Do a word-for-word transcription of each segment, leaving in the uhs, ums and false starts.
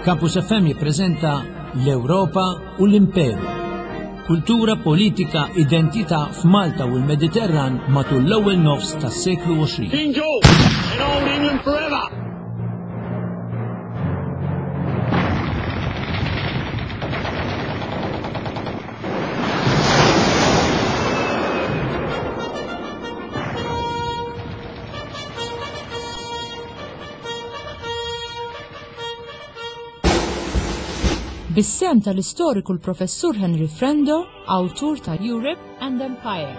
Campus F M jippreżenta l-Ewropa u l-Imperu. Kultura, politika, identità f'Malta u l-Mediterran matul l-ewwel nofs tas-seklu għoxrin. King George and Old England forever! Bis-sem tal-istoriku l-Professur Henry Frendo, awtur ta' Europe and Empire.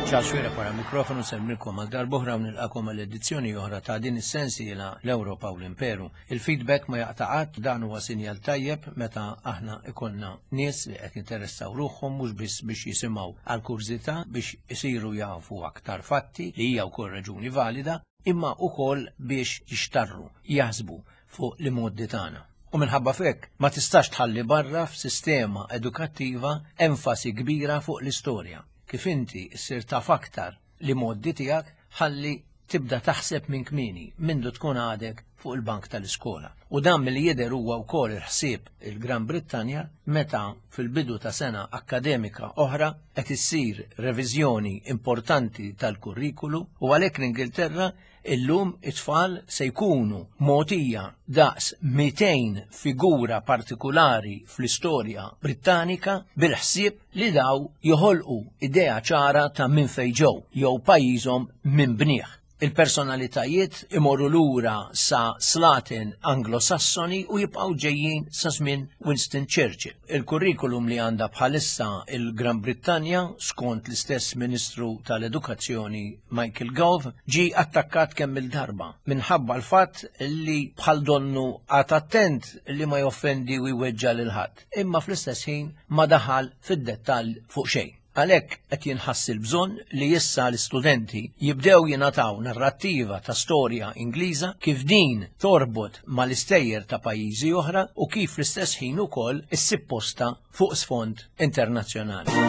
Charles Xuereb wara mikrofonu semmilkom għal darb'oħra u nilqakom għal edizzjoni oħra ta' din is-sensiela l-Ewropa u l-Imperu. Il-feedback ma jaqta' qatt, dan huwa sinjal tajjeb meta aħna ikollna nies li qed jinteressaw ruħhom mhux biss biex jisimgħu għal kurżità biex isiru jafu aktar fatti li hija wkoll raġuni valida, imma wkoll biex jixtarru, jaħsbu fuq l-imoddi tagħna. U minħabba f'hekk ma tistax tħalli barra f'sistema edukattiva enfasi kbira fuq l-istorja. Kif inti ssir taf aktar li moddi tiegħek ħalli tibda taħseb minn kmieni mindu tkun għadek fuq il-bank tal-iskola. U dan milli jidher huwa wkoll il-ħsieb il-Gran Brittanja meta fil-bidu ta' sena akkademika oħra qed issir reviżjoni importanti tal-kurrikulu u għalhekk l-Ingilterra illum it-tfal se jkunu mogħtija daqs mitejn figura partikulari fl-istorja Brittanika bil-ħsieb li daw joħolqu idea ċara ta' minn fejn ġew jew pajjiżhom minn bnieh. Il-personalitajiet imorru lura sa slaten Anglo-Sassoni u jibqgħu ġejjin sa żmien Winston Churchill. Il-kurrikulum li għandha bħalissa il-Gran Brittanja, skont l-istess Ministru tal-Edukazzjoni Michael Gove, ġie attakkat kemm il-darba minħabba l-fatt li bħal donnu għad attent li ma joffendi u jweġġa lil ħadd, imma fl-istess ħin ma daħal fid-dettall fuq xejn. Għalhekk qed jinħass il-bżonn li issa l-istudenti jibdew jingħataw narrattiva ta' storja Ingliża kif din torbot mal-istejjer ta' pajjiżi oħra u kif fl-istess ħin ukoll issib posta fuq sfond internazzjonali.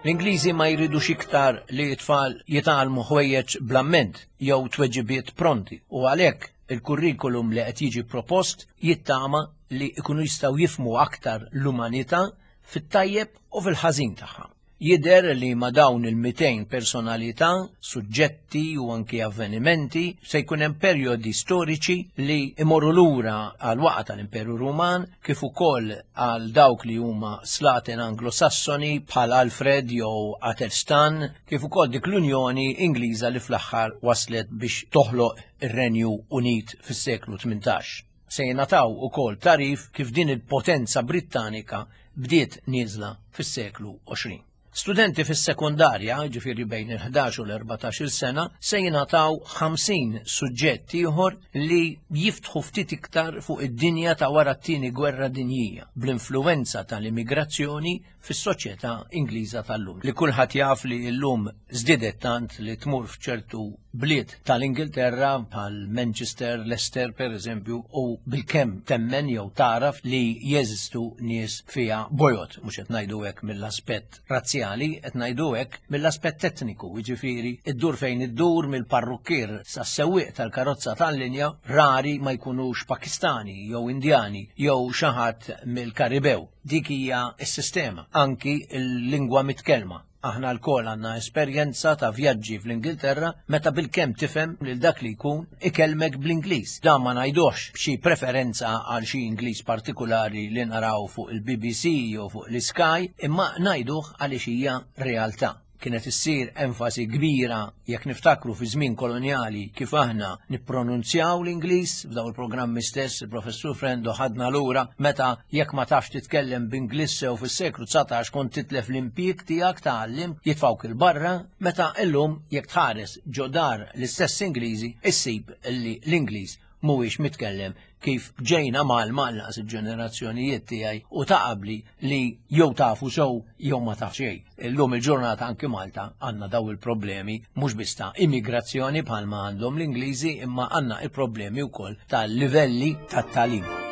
L-Ingliżi ma jridux iktar li t-tfal jitgħallmu ħwejjeġ bl-amment jew tweġibiet pronti u għalhekk il-kurrikulum li qed jiġi propost jittama li jkunu jistgħu jifhmu aktar l-umanità fit-tajjeb u fil-ħażin tagħha. Jidher li ma' dawn il-mitejn personalità, suġġetti u anki avvenimenti se jkun hemm perjodi storiċi li imorru lura għal waqgħa tal-Imperu Ruman kif ukoll għal dawk li huma slaten Anglo-Sassoni bħal Alfred jew Athelstan, kif ukoll dik l-Unjoni Ingliża li fl-aħħar waslet biex toħloq ir-Renju Unit fis-seklu tmintax. Se jingħataw ukoll tarif kif din il-potenza Brittanika bdiet nieżla fis-seklu għoxrin. Studenti fis-sekondarja, ġifieri bejn il-ħdax u l-erbatax-il sena, se jingħataw ħamsin suġġett ieħor li jiftħu ftit iktar fuq id-dinja ta' wara t-tieni gwerra dinjija, bl-influwenza tal-immigrazzjoni fis-soċjetà Ingliża tal-lum. Li kulħadd jaf li llum żdiedet tant li tmur f'ċertu bliet tal-Ingilterra bħal Manchester, Leicester per eżempju, u bilkemm temmen jew taraf li jeżistu nies fiha bojod, mhux qed ngħidu hekk mill-aspett razzjali, qed ngħidu hekk mill-aspett etniku, jiġifieri iddur fejn iddur mill-parrukkier sas-sewwieq tal-karozza tal-linja rari ma jkunux Pakistani jew Indjani jew xi ħadd mill-Karibew. Dik hija s-sistema, anki l-lingwa mitkellma. Aħna lkoll għandna esperjenza ta' vjaġġi fl-Ingilterra meta bilkemm tifhem lil dak li jkun ikellmek bl-Ingliż. Dan ma ngħidux b'xi preferenza għal xi Ingliż partikulari li naraw fuq il-B B C jew fuq l-Sky, imma ngħiduh għaliex hija realtà. Kienet issir enfasi kbira, jekk niftakru fi żmien kolonjali, kif aħna nippronunzjaw l-Ingliż. F'daw il-programmi stess il-professur Frendo ħadna lura meta jekk ma tafx titkellem b'Ingliż sew fis-seklu dsatax kont titlef l-impjieg tiegħek ta' għalliem, jitfawk 'il barra, meta illum jekk tħares ġo dar l-istess Ingliżi issib li l-Ingliż mhuwiex mitkellem kif ġejna mgħallma lanqas il-ġenerazzjonijiet tiegħi u ta' qabli, li jew tafu sew jew ma taf xejn. Illum il-ġurnata anki Malta għandna daw il-problemi, mhux biss ta' immigrazzjoni bħalma għandhom l-Ingliżi, imma għandna il-problemi wkoll tal-livelli tat-tagħlim.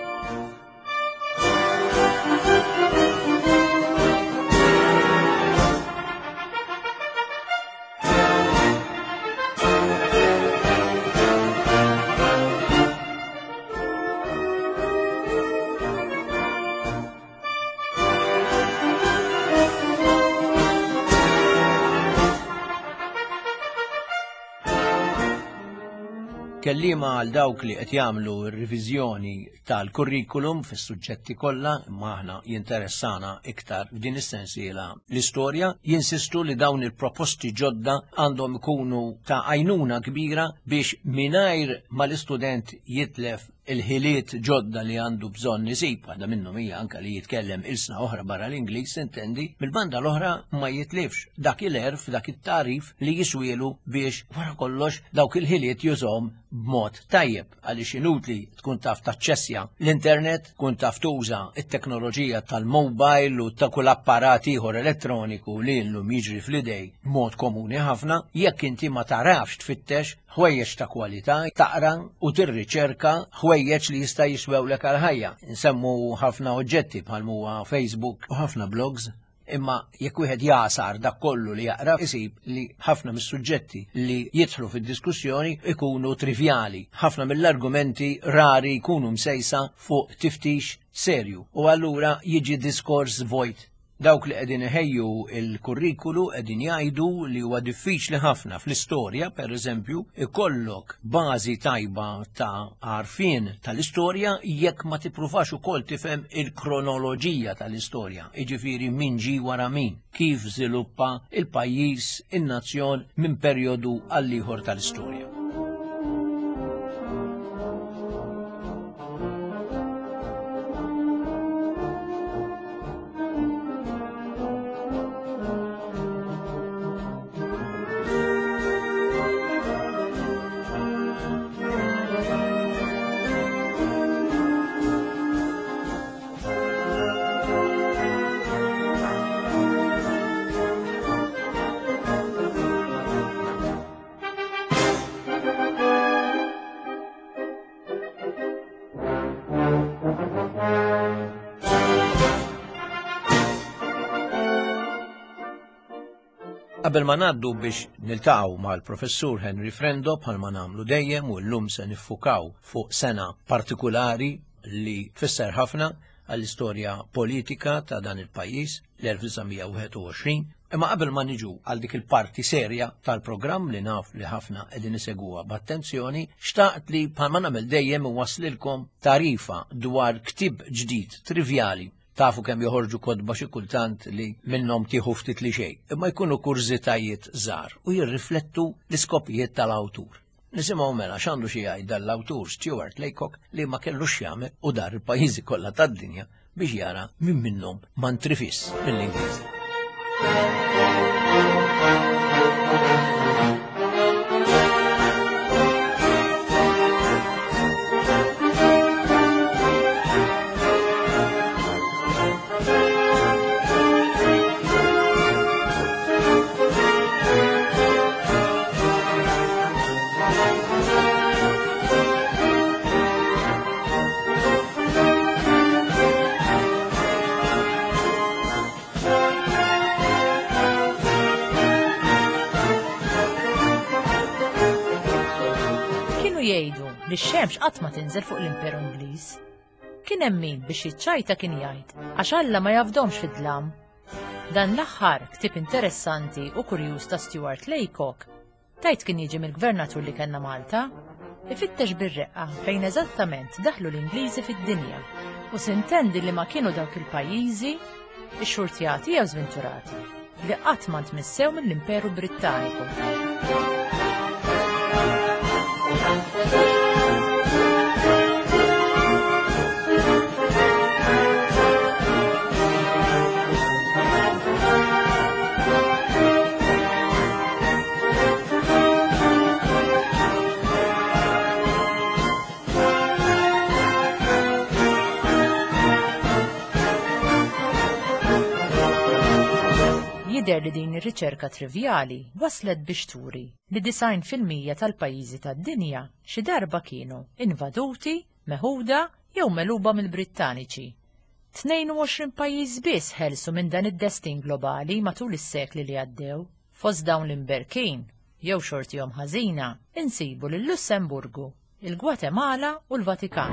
Kellima għal dawk li qed jagħmlu r-riviżjoni tal-kurrikulum fis-suġġetti kollha, imma aħna jinteressana iktar f'din is-sensiela l-istorja, jinsistu li dawn il-proposti ġodda għandhom ikunu ta' għajnuna kbira biex, mingħajr ma l-istudent jitlef il-ħiliet ġodda li għandu bżonn isib, waħda minnhom hija anke li jitkellem ilsna oħra barra l-Ingliż, intendi, mill-banda l-oħra ma jitlifx dak il-għerf, dak it-tagħrif li jiswielu biex wara kollox dawk il-ħiliet jużhom b'mod tajjeb, għaliex inutli tkun taf taċċessja l-internet, tkun taf tuża it-teknoloġija tal-mobile u ta' kull apparat ieħor elettroniku li llum jiġri fl-idej b'mod komuni ħafna, jekk inti ma tarafx tfittex ħwejjeġ ta' kwalità, taqra u tirriċerka ħwejjeġ li jista' jiswewlek għal ħajja. Nsemmu ħafna oġġetti bħal huwa Facebook u ħafna blogs, imma jekk wieħed jagħsar dak kollu li jaqra isib li ħafna mis-suġġetti li jidħlu fid-diskussjoni ikunu trivjali. Ħafna mill-argumenti rari jkunu msejsa fuq tiftix serju u allura jiġi diskors vojt. Dawk li qegħdin iħejju il-kurrikulu qegħdin jgħidu li huwa diffiċli ħafna fl-istorja, per eżempju, ikollok bażi tajba ta' għarfien tal-istorja jekk ma tippruvax ukoll tifhem il-kronoloġija tal-istorja, jiġifieri min ġie wara min, kif żviluppa il-pajjiż, in-nazzjon minn perjodu għal ieħor tal-istorja. Qabel ma ngħaddu biex niltaqgħu mal-professur Henry Frendo, bħalma nagħmlu dejjem, u llum se niffukaw fuq sena partikulari li tfisser ħafna għall-istorja politika ta' dan il-pajjiż, l-elf disa' mija u wieħed u għoxrin. Imma qabel ma niġu għal dik il-parti serja tal-programm li naf li ħafna qegħdin isegwuha b'attenzjoni, xtaqt li, bħalma nagħmel dejjem, waslilkom tarifa dwar ktieb ġdid trivjali. Tafu kemm joħorġu kotba xi kultant li minnhom tieħu ftit li xejn, imma jkunu kurżitajiet żgħar u jirriflettu l-iskopijiet tal-awtur. Nisimgħu mela x'għandu xi jgħid dal-awtur Stuart Laycock, li ma kellux jagħmel u dar il-pajjiżi kollha tad-dinja biex jara min minnhom ma ntrifis mill-Ingliż. Kienu jgħidu li x-xemx qatt ma tinżel fuq l-Imperu Ingliż. Kien hemm min biex jiċċajta kien jgħid għax Alla ma jafdomx fid-dlam. Dan l-aħħar ktieb interessanti u kurjuż ta' Stuart Laycock, tajt kien jiġi mill-gvernatur li kellna Malta, ifittex bir-reqqa fejn eżattament daħlu l-Ingliżi fid-dinja u sintendi li ma kienu dawk il-pajjiżi ixxurtjati jew żventurati li qatt ma ntmissew mill-Imperu Brittaniku. Jidher li din ir-riċerka trivjali waslet biex turi li disgħin fil-mija tal-pajjiżi tad-dinja xi darba kienu invaduti, meħuda jew megħluba mill-Brittaniċi. tnejn u għoxrin pajjiż biss ħelsu minn dan id-destin globali matul is-sekli li għaddew. Fost dawn l-imberkin, jew xortihom ħażina, insibu lil Lussemburgu, il-Gwatemala u l-Vatikan.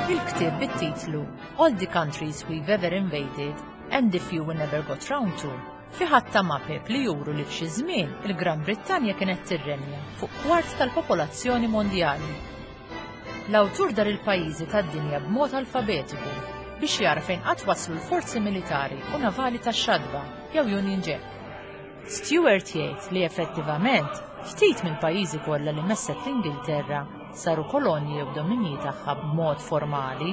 Il-ktieb bit-titlu All the Countries We've Ever Invaded and the Few We Never Got Round To fi ħatta mapep li juru li f'xi żmien il-Gran Brittanja kienet tirrenja fuq kwart tal-popolazzjoni mondjali. L-awtur dar il-pajjiżi tad-dinja b'mod alfabetiku biex jara fejn qatt waslu l-forzi militari u navali tax-xadba jew Union Jack. Stuart jgħid li effettivament ftit mill-pajjiżi kollha li messet l-Ingilterra saru kolonji jew dominji tagħha b'mod formali.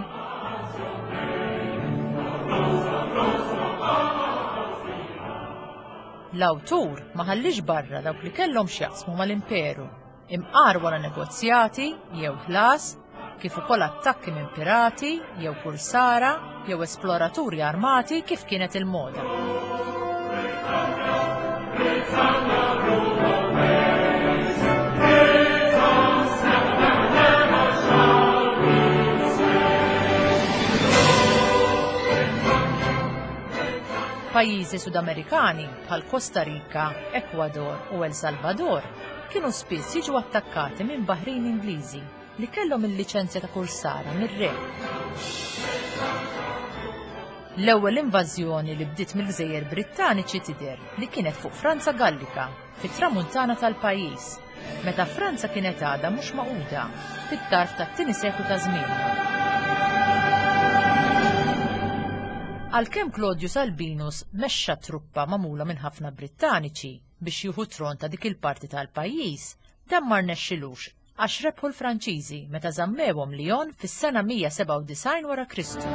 L-awtur ma ħallix barra dawk li kellhom x'jaqsmu mal-imperu, imqar wara negozjati jew ħlas, kif ukoll attakki minn pirati jew kursara jew esploraturi armati kif kienet il-moda. Pajjiżi Sudamerikani bħal Costa Rica, Ecuador u El Salvador kienu spiss jiġu attakkati minn baħrin Ingliżi li kellhom il-liċenzja ta' kursara mir-re. L-ewwel invażjoni li bdiet mill-Gżejjer Brittaniċi tidher li kienet fuq Franza Gallika fit-tramuntana tal-pajjiż, meta Franza kienet għadha mhux magħquda fit-tarf tat-tieni seklu ta' żmien. Għalkemm Claudius Albinus mexxa truppa magħmula minn ħafna Brittaniċi biex jieħu tron ta' dik il-parti tal-pajjiż, dan ma rnexxilux għax rebħu l-Franċiżi meta żammewhom Lyon fis-sena mija sebgħa u disgħin wara Kristu.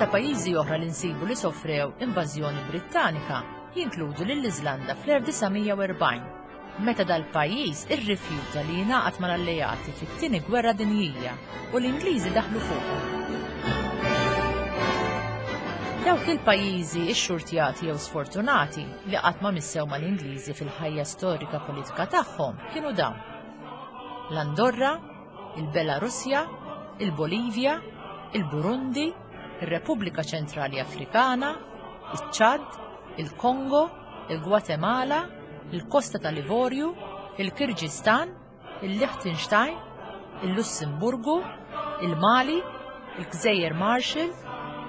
Ta' pajjiżi oħra li nsibu li sofrew invażjoni Brittanika jinkludu lill-Iżlanda fl-elf disa' mija u erbgħin, meta dal-pajjiż irrifjuta li jingħaqad mal-alleati fit-tieni gwerra dinjija u l-Ingliżi daħlu fuqhom. Dawk il-pajjiżi ixxurtjati jew sfortunati li qatt ma missew mal-Ingliżi fil-ħajja storika politika tagħhom kienu dawn: l-Andorra, il-Belarusja, il-Bolivja, il-Burundi, il-Repubblika Ċentrali Afrikana, iċ-Ċad, il-Kongo, il-Gwatemala, il-Kosta tal-Ivorju, il-Kirġistan, il-Liechtenstein, il-Lussemburgu, il-Mali, il-Gżejjer Marshall,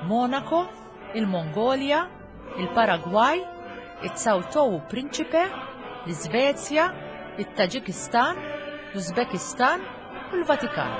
Monaco, il-Mongolja, il-Paragwaj, il-Sao Tome u Principe, l-Iżvezja, il-Taġikistan, l-Uzbekistan u l-Vatikan.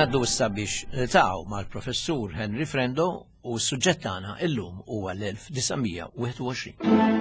Naddu issa biex niltaqgħu mal-Professur Henry Frendo u s-suġġett tagħna illum huwa l-elf disa' mija wieħed u għoxrin.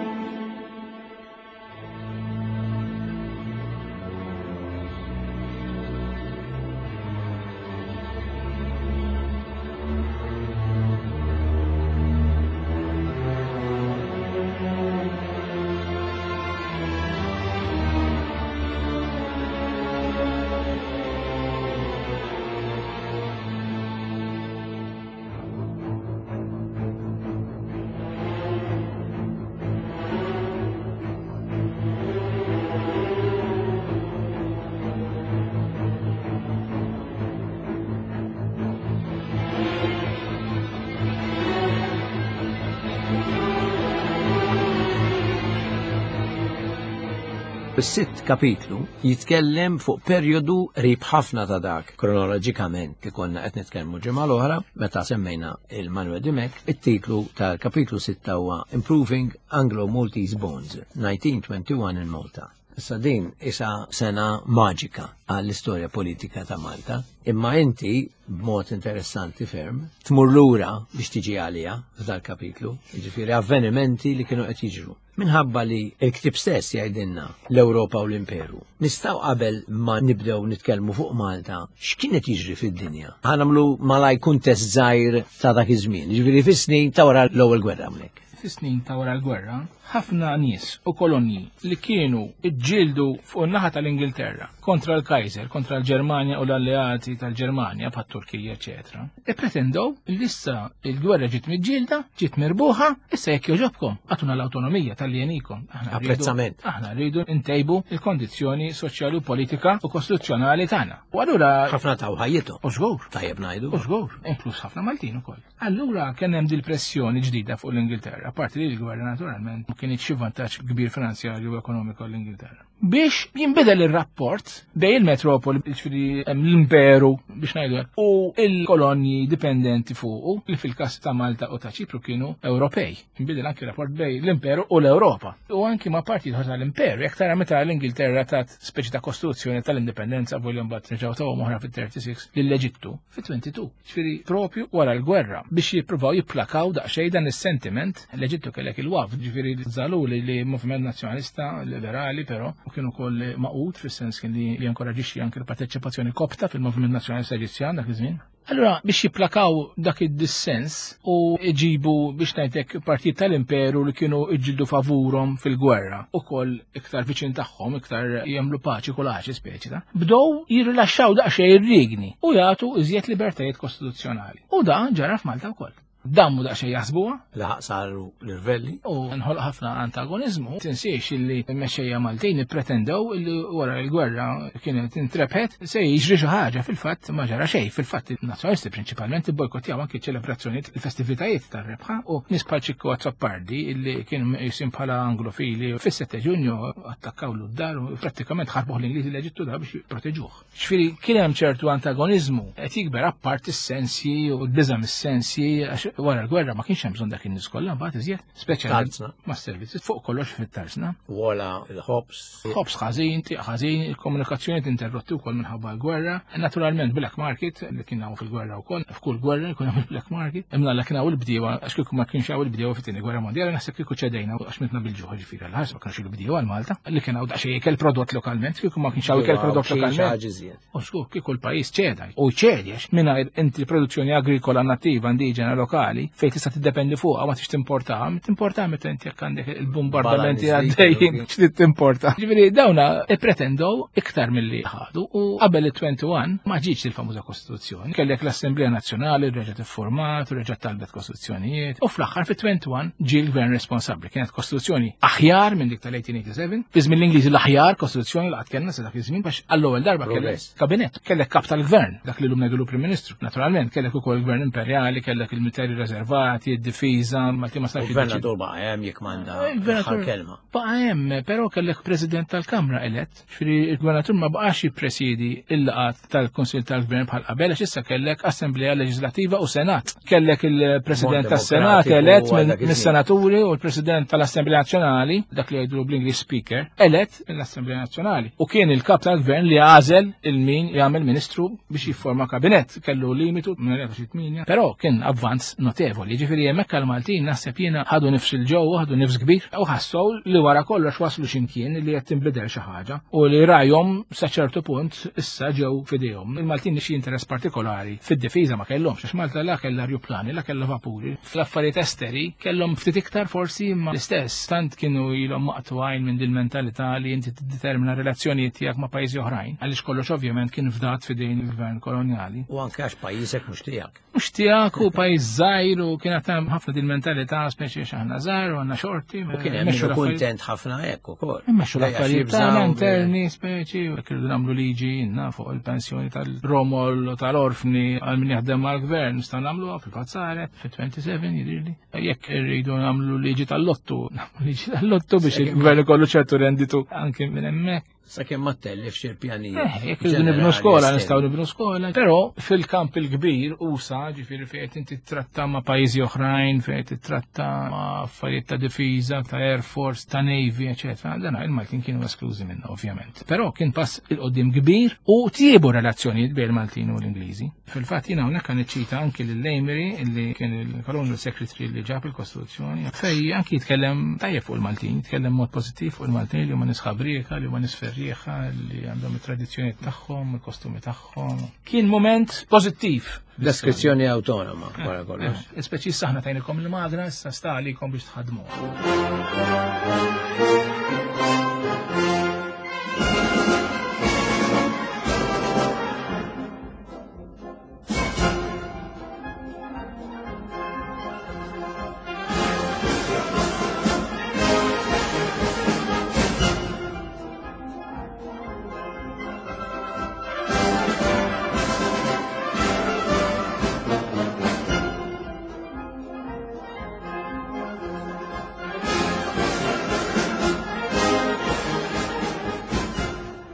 Is-sitt kapitlu jitkellem fuq perjodu qrib ħafna ta' dak kronoloġikament li konna qed nitkellmu ġimgħa l-oħra meta semmejna il-Manuel Dimech. It-titlu tal-kapitlu sitta huwa Improving Anglo-Maltese Bonds, nineteen twenty-one in Malta. Issa din isa sena maġika għall-istorja politika ta' Malta, imma inti b'mod interessanti ferm tmur lura biex tiġi għalija f'dal kapitlu, jiġifieri avvenimenti li kienu qed jiġru. Minħabba li l-ktieb stess jgħidilna l-Ewropa u l-Imperu. Nistgħu qabel ma nibdew nitkellmu fuq Malta, x'kien qed jiġri fid-dinja? Ħa nagħmlu malaj kuntest żgħir ta' dak iż-żmien, jiġifieri fis-snin ta' wara l-ewwel gwerra hawnhekk. Fis-snin ta' wara l-gwerra, ħafna nies u kolonji li kienu ġġieldu fuq in-naħa tal-Ingilterra kontra l-Kaiser, kontra l-Ġermanja u l-alleati tal-Ġermanja bħat-Turkija, eċetera. Ippretendew li issa l-gwerra ġiet miġġielda, ġiet mirbuħa, issa jekk jogħġobkom, għatuna l-awtonomija tal-jenikom. Aħna rridu Apprezzament. Aħna rridu ntejbu il-kondizzjoni soċjali u politika u kostituzzjonali tagħna. U allura ħafna taw ħajjithom. U żgur. Tajjeb ngħidu. U żgur, inkluż ħafna Maltin ukoll. Allura kien hemm dil-pressjoni ġdida fuq l-Ingilterra, parti li l-gwerra naturalment ma kienx xi vantaġġ kbir finanzjarju u ekonomiku għall-Ingilterra. Biex jinbidel ir-rapport bejn il-metropoli, jiġifieri hemm l-imperu biex ngħidu hekk, u l-kolonji dipendenti fuqu, li fil-każ ta' Malta u ta' Ċipru kienu Ewropej. Inbidel anki rapport bejn l-imperu u l-Ewropa. U anki ma' parti oħra tal-imperu, jekk tara meta l-Ingilterra tat speċi ta' kostituzzjoni tal-indipendenza, volja mbagħad reġgħu tawhom oħra fit-thirty-six lill-Eġittu fit-twenty-two. Jiġifieri propju wara l-gwerra biex jippruvaw jipplakaw daqsxejn dan is-sentiment. L-Eġittu kellek il-waf, jiġifieri żaluli li moviment nazzjonalista liberali però u kienu wkoll maqut fis-sens kien li jinkoraġixxi anke l-parteċipazzjoni kopta fil-moviment nazzjonalista Eġizzjan dak iż-żmien. Allura biex jipplakaw dak id-dissens u iġibu biex ngħidlek partit tal-imperu li kienu iġġieldu favurhom fil-gwerra ukoll iktar viċin tagħhom, iktar jagħmlu paċi kulaċi speċi ta', bdew jirrilaxxaw daqsxejn ir-rigni u jagħtu iżjed libertajiet kostituzzjonali. U dan ġara f'Malta wkoll. Dammu daqsxejn jaħsbuha. Laħaq saru l-irvelli. U nħolq ħafna antagonizmu. Tinsiex illi l-mexxejja Maltin ippretendew illi wara l-gwerra kienet intrebħet se jiġri xi ħaġa, fil-fatt ma ġara xejn. Fil-fatt in-nazzjonalisti prinċipalment ibbojkottjaw anki ċelebrazzjonijiet, il-festivitajiet tar-rebħa u nies bħal Ċikku Azzopardi illi kien jisim bħala anglofili fis-sette Ġunju attakkaw l-dar u prattikament ħarbuh l-Ingliżi l-Eġittu da biex jipproteġuh. Ġifieri kien hemm ċertu antagonizmu qed jikber apart is-sensji u l-biża' mis-sensji għax wara l-gwerra ma kienx hemm bżonn dak in-nies kollha mbagħad iżjed, speċjalment Tarzna. mas-servizzi fuq kollox fit-tarzna. Wala il-ħobs. Ħobs ħażin, tieq ħażin, il-komunikazzjoni tinterrotti wkoll minħabba l-gwerra. Naturalment black market li kien hawn fil-gwerra wkoll, f'kull gwerra jkun hemm il-black market. Imma la kien hawn il-bdiewa, għax kieku ma kienx hawn il-bdiewa fit-tieni gwerra mondjali, naħseb kieku ċedejna għax mitna bil-ġuħ, ġifieri għall-ħars ma kienx il-bdiewa għal Malta, li kien hawn daqsxejn ikel prodott lokalment, kieku ma kienx hawn ikel prodott Xi lokalment. ħaġa iżjed. U żgur kieku l-pajjiż ċeda. U ċedi għax mingħajr inti produzzjoni agrikola nattiva indiġena lokali fejn tista' tiddependi fuqha ma tix timportaha, timportaha meta inti jekk għandek il-bombardamenti Balaniż għaddejjin dik, x'trid timporta. Ġifieri dawna ippretendew iktar milli ħadu u qabel it-twenty-one ma ġietx il-famuża Kostituzzjoni. Kellek l-Assemblea Nazzjonali reġgħet iffurmat u reġgħet talbet kostituzzjonijiet u fl-aħħar fit-twenty-one ġie l-gvern responsabbli. Kienet kostituzzjoni aħjar minn dik tal-eighteen eighty-seven. Fi żmien l-Ingliżi l-aħjar kostituzzjoni li qatt kellna sa dak iż-żmien għax għall-ewwel darba kellek Progress. kabinett, kellek kap tal-gvern, dak li llum ngħidulu Prim Ministru. Naturalment kellek ukoll il-gvern imperjali, kellek il-military l-esteri riservati, id-difiża, Malti ma setax. Il-gvernatur baqa' hemm jekk m'għandha Il-gvernatur kelma. Baqa' hemm, però kellek president tal-Kamra elett. Ġifieri il-gvernatur ma baqax jippresidi il-laqgħat tal-Kunsill tal-Gvern bħal qabel, għax issa kellek Assemblea Leġislattiva u Senat. Kellek il-President Mod tas-Senat demokratiku elett għal minn dak iż-żmien. mis-senaturi u l-President tal-Assemblea Nazzjonali, dak li jgħidu bl-Ingliż Speaker, elett mill-Assemblea Nazzjonali. U kien il-kap tal-Gvern li għażel il-min jagħmel ministru biex jifforma kabinett. Kellu limitu minn xi tminja, però kien avvanz notevoli. Ġifieri hemmhekk għall-Maltin naħseb jiena ħadu nifs il-ġew, ħadu nifs kbir u ħassew li wara kollox waslu x'imkien li qed tinbidel xi ħaġa u li rajhom sa ċertu punt issa ġew f'idejhom. Il-Maltin xi interess partikolari fid-difiża ma kellhomx, għax Malta la kellha ajruplani, la kellha vapuri. Fl-affarijiet esteri kellhom ftit iktar forsi imma l-istess. Tant kienu ilhom maqtugħin minn din mentalità li inti tiddetermina relazzjonijiet tiegħek ma' pajjiżi oħrajn, għaliex kollox ovvjament kien fdat f'idejn il-gvern kolonjali. U anke għax pajjiżek mhux tiegħek. Mhux tiegħek u pajjiż żgħir u kienet hemm ħafna din mentalità speċi x'aħna żgħar u għandna xorti. U kien hemm min kuntent ħafna hekk ukoll. Immexxu l-affarijiet tagħna interni speċi, u jekk irridu nagħmlu liġi inna fuq il-pensjoni tal-romol u tal-orfni għal min jaħdem mal-gvern nistgħu nagħmluha fil-fazzare fit-twenty-seven jidhirli. Jekk irridu nagħmlu liġi tal-lottu, nagħmlu liġi tal-lottu biex il-gvern ikollu ċertu renditu anke minn hemmhekk. Sakemm ma tellifx il-pjanijiet. Eh, jekk irridu nibnu skola, nistgħu nibnu skola. Però fil-kamp il-kbir usa, ġifieri fejn inti titratta ma' pajjiżi oħrajn, fejn titratta ma' affarijiet ta' difiża, ta' Air Force, ta' Navy, eċetera. Dan il-Maltin kienu esklużi minna, ovvjament. Però kien pass 'il quddiem kbir u tjiebu relazzjonijiet bejn il-Maltin u l-Ingliżi. Fil-fatt jiena hawnhekk niċċita anki lil Amery, illi kien il-Colonial Secretary li ġab il-Kostituzzjoni, fej anki jitkellem tajjeb fuq il-Maltin, jitkellem mod pożittiv fuq il-Maltin li huma nies ħabrieka, li huma nies ferrieħa, li għandhom it-tradizzjoni tagħhom, il-kostumi tagħhom. Kien moment pożittiv. Deskrizzjoni awtonoma wara kollox. Eh, Speċi aħna tajnikom il-magna, issa sta għalikom biex tħadmu.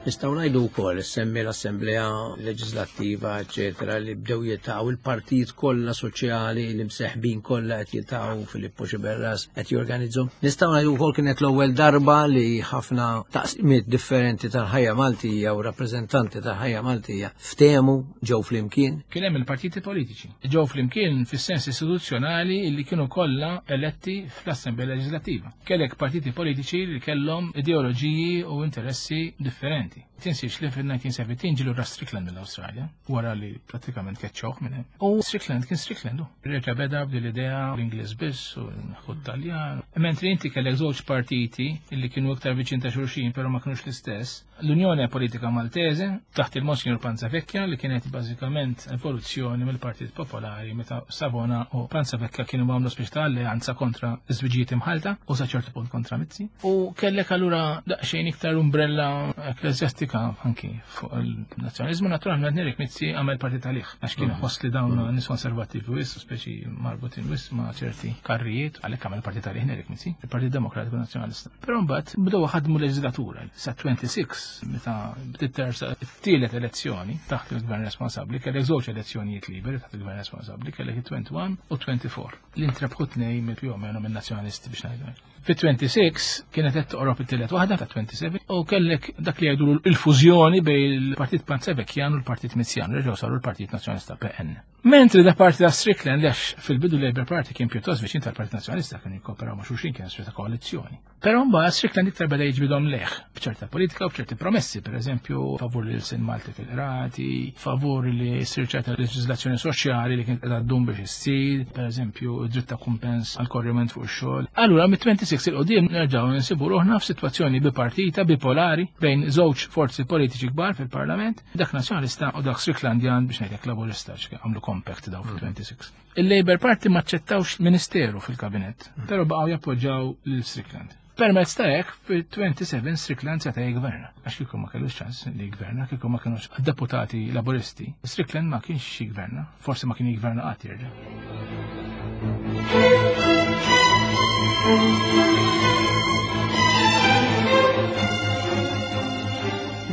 Nistgħu ngħidu wkoll semmi l-Assemblea Leġislattiva, eċetera, li bdew jiltaqgħu il-partijiet kollha soċjali li mseħbin kollha qed jiltaqgħu Filippo Sciberras qed jorganizzhom. Nistgħu ngħidu wkoll kienet l-ewwel darba li ħafna taqsimiet differenti tal-ħajja Maltija u rappreżentanti tal-ħajja Maltija ftehmu ġew flimkien. Kien hemm il-partiti politiċi. Ġew flimkien fis-sens istituzzjonali li kienu kollha eletti fl-Assemblea Leġislattiva. Kellek partiti politiċi li kellhom ideoloġiji u interessi differenti. Tinsiex li fil-nineteen seventeen ġilu ra Strickland mill-Awstralja, wara li pratikament keċċawh minn hemm. U Strickland kien Strickland, hu. Reġa' beda b'din l-idea l-Ingliż biss u nħu Taljan. Mentri inti kellek żewġ partiti li kienu iktar viċin ta' xulxin, però ma kinux l-istess. L-Unjoni Politika Maltese taħt il-Monsignor Panzavecchia li kienet bażikament evoluzzjoni mill-Partit Popolari meta Savona u Panzavecchia kienu għamlu speċi ta' alleanza kontra iż-żwiġijiet imħalta u sa ċertu punt kontra Mizzi. U kellek allura daqsxejn iktar umbrella ekklesjastika anki fuq il-nazzjonalizmu. Naturalment Nerik Mizzi għamel partit għalih għax kien ħoss li dawn nies konservattivi wis, speċi marbutin wis ma' ċerti karrijiet, għalhekk għamel partit għalih Nerik Mizzi, il-Partit Demokratiku Nazzjonalista. Però mbagħad bdew ħadmu leġislatura sa twenty-six meta bdiet tersa t-tielet elezzjoni taħt il-gvern responsabbli, kellek żewġ elezzjonijiet liberi taħt il-gvern responsabbli, kellek it-twenty-one u twenty-four. Li ntrebħu tnejn mill-più o meno minn nazzjonalisti biex ngħidu hekk. Fit-twenty-six kienet qed toqrob it-tielet waħda ta' twenty-seven u kellek dak li jgħidu il-fużjoni bejn il-Partit Panzavecchian u l-Partit Mizzjan, reġgħu saru l-Partit Nazzjonalista P N. Mentri da parti ta' Strickland, għax fil-bidu Labour Party kien pjuttost viċin tal-Partit Nazzjonalista, kienu jikkooperaw ma' xulxin, kien ta' koalizzjoni. Però mbagħad Strickland iktar beda jiġbidhom leħ b'ċerta politika u b'ċerti promessi, pereżempju favur li l-sin Malti fil-qrati, favur li ssir ċerta leġiżlazzjoni soċjali li kienet qiegħda ddum biex issir, pereżempju dritt ta' kumpens għal korriment fuq ix-xogħol. Allura mit-twenty-six il qudiem nerġgħu nsibu ruħna f'sitwazzjoni bipartita, bipolari bejn żewġ forzi politiċi kbar fil-Parlament, dak Nazzjonalista u dak Stricklandian biex ngħidlek Laburista, għax għamlu compact daw fil-twenty-six. Il-Labour Party ma ċċettawx ministeru fil-kabinett, però baqgħu jappoġġjaw lil Strickland. Permezz ta' hekk fil-twenty-seven Strickland seta' jgverna. Għax kieku ma kellux ċans li jgverna, kieku ma kienux deputati laburisti, Strickland ma kienx jgverna, forsi ma kien jgverna qatt jerġa'.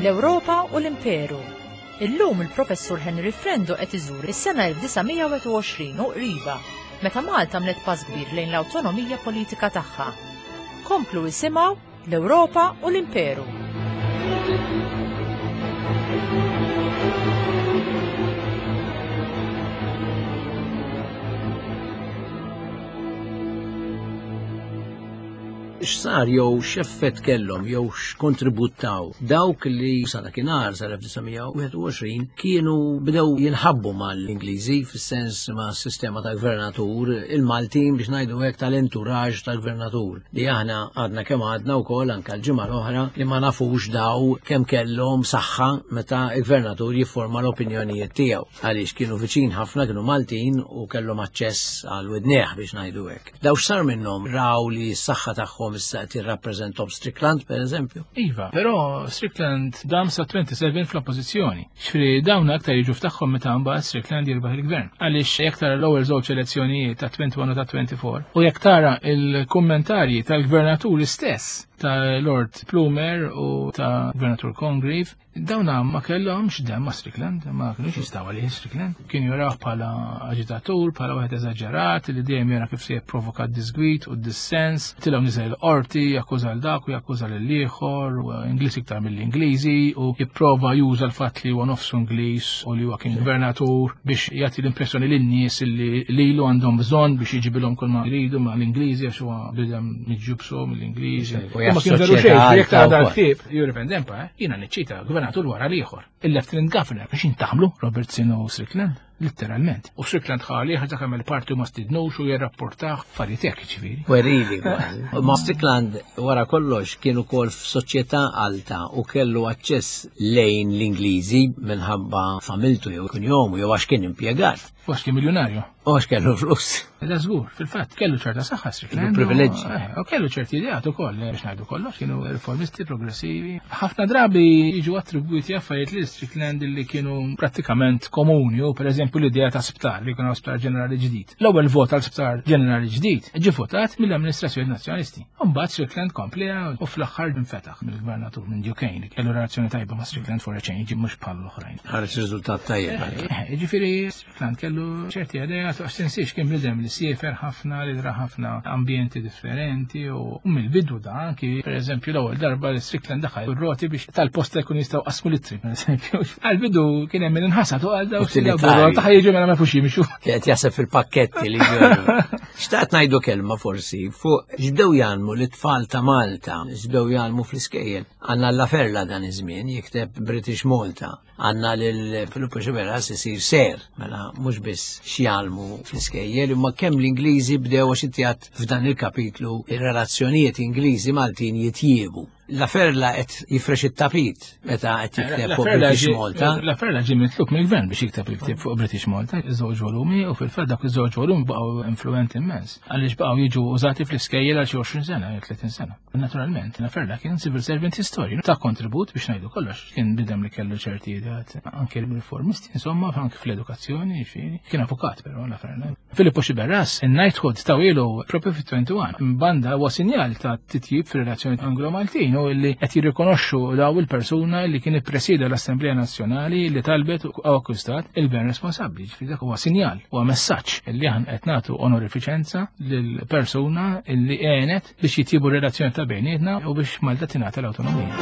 L-Ewropa u l-Imperu. Illum il-Professur Henry Frendo qed iżur is-sena elf disa' mija wieħed u għoxrin u qriba, meta Malta għamlet pass kbir lejn l-awtonomija politika tagħha. Komplu isimgħu l-Ewropa u l-Imperu. X'sar jew x'effett kellhom jew x'kontributaw dawk li sa dakinhar sa elf disa' mija wieħed u għoxrin kienu bdew jinħabbu mal-Ingliżi fis-sens ma' sistema ta' gvernatur, il-Maltin biex ngħidu hekk tal-entourage tal-gvernatur li aħna għadna kemm għadna wkoll anke l-ġimgħa l-oħra li ma nafux daw kemm kellhom saħħa meta l-gvernatur jifforma l-opinjonijiet tiegħu għaliex kienu viċin ħafna, kienu Maltin u kellhom aċċess għal widnejh biex ngħidu hekk. Daw x'sar minnhom raw li s-saħħa tagħhom issa qed jirrappreżentahom Strickland pereżempju. Iva, però Strickland dam sa twenty-seven fl-oppożizzjoni. Ġifieri dawn aktar jiġu f'tagħhom meta mbagħad Strickland jirbaħ il-gvern. Għaliex jekk tara l-ewwel żewġ elezzjonijiet ta' twenty-one u ta' twenty-four u jekk tara il-kummentarji tal-gvernaturi stess ta' Lord Plumer u ta' Gvernatur Congreve, dawna ma kellhomx demm ma' Strickland, ma kienux jistgħu għalih Strickland. Kienu jaraw bħala aġitatur, bħala wieħed eżaġerat li dejjem jara kif se jipprovoka d-disgwit u d-dissens, tilgħu niżel l-qorti, jakkuża l dak u jakkuża lil ieħor, u Ingliż iktar mill-Ingliżi, u jipprova juża l-fatt li huwa nofsu Ingliż u li huwa kien gvernatur biex jagħti l-impressjoni lin-nies li lilu għandhom bżonn biex jiġibilhom kull ma jridu ma' l-Ingliżi għax huwa bidem miġġubsu mill-Ingliżi. U Ma kien veru xejn, jassoċjeta jekk tara għal l-ktieb, Europe and Empire, jiena niċċita gvernatur wara l-ieħor. Il-Lieutenant Governor biex jintaħlu Robertson u Strickland, letteralment. U Strickland ħali ħaġa kemm il-parti ma stidnux u jirrapportah affarijiet hekk, ġifieri. Werili kważi. Ma Strickland wara kollox kien ukoll f'soċjetà alta u kellu aċċess lejn l-Ingliżi minħabba familtu jew kunjomu jew għax kien impjegat. U għax kien miljonarju. U għax kellu flus. Da żgur, fil-fatt kellu ċerta saħħa Strickland. Kellu privileġġi. Eh, u kellu ċerti ideat ukoll, eh, biex ngħidu kollox, kienu riformisti progressivi. Ħafna drabi jiġu attribwiti affarijiet li Strickland li kienu prattikament komuni, u pereżempju l-idea ta' sptar, li kienu sptar ġenerali ġdid. L-ewwel vot għal sptar ġenerali ġdid ġie votat mill-amministrazzjoni nazzjonalisti. U mbagħad Strickland komplija u fl-aħħar infetaħ mill-gvernatur minn Duquesne li kellu relazzjoni tajba ma' Strickland for a change, mhux bħal l-oħrajn. Ħareġ riżultat tajjeb. Eh, eh, ġifieri Strickland kellu ċerti idea, għax tinsiex kien bniedem li siefer ħafna, li dra ħafna ambjenti differenti u mill-bidu da anki pereżempju l-ewwel darba li Strickland daħal ir-roti biex tal-posta jkun jistgħu qasmu litri, pereżempju. Għall-bidu kien hemm min inħasad u għal dawk Utilitarji. li taħ jiġu mela ma jafux jimxu. Qed jaħseb fil-pakketti li ġew. Xtaqt ngħidu kelma forsi fuq x'bdew jgħallmu l-itfal ta' Malta, x'bdew jgħallmu fl-iskejjel. Għandna Laferla dan iż-żmien jikteb British Malta. Għandna lil Filippo Sciberras isir ser, mela mhux biss x'jgħallmu fl-iskejjel, imma kemm l-Ingliżi bdew għax inti għad f'dan il-kapitlu ir-relazzjonijiet Ingliżi Maltin jitjiebu. Laferla qed jifrex it-tapit meta qed jikteb fuq Laferla British ġie- Malta. Laferla ġie mitlub mill-gvern biex jikteb il-ktieb fuq British Malta, iż-żewġ volumi, u fil-fatt dak iż-żewġ volumi baqgħu influenti immens. Għaliex baqgħu jiġu użati fl-iskejjel għal xi għoxrin sena, jew tletin sena. Naturalment, Laferla kien civil servant historian, ta' kontribut biex ngħidu kollox. Kien bidem li kellu ċerti ideat anke riformisti, insomma, anke fl-edukazzjoni, ġifieri. Kien avukat però Laferla. Filippo Sciberras, in-knighthood tawilu propju fit-twenty-one. Banda huwa sinjal ta' titjib fir-relazzjoni Anglo-Maltin u li qed jirrikonoxxu daw il-persuna li kien ippresida l-Assemblea Nazzjonali li talbet u akkwistat il-gvern responsabbli. Ġifieri dak huwa sinjal, huwa messaġġ li aħna qed nagħtu onorifiċenza lill-persuna li għenet biex jitjiebu r-relazzjoni ta' bejnietna u biex Malta tingħata l-awtonomija.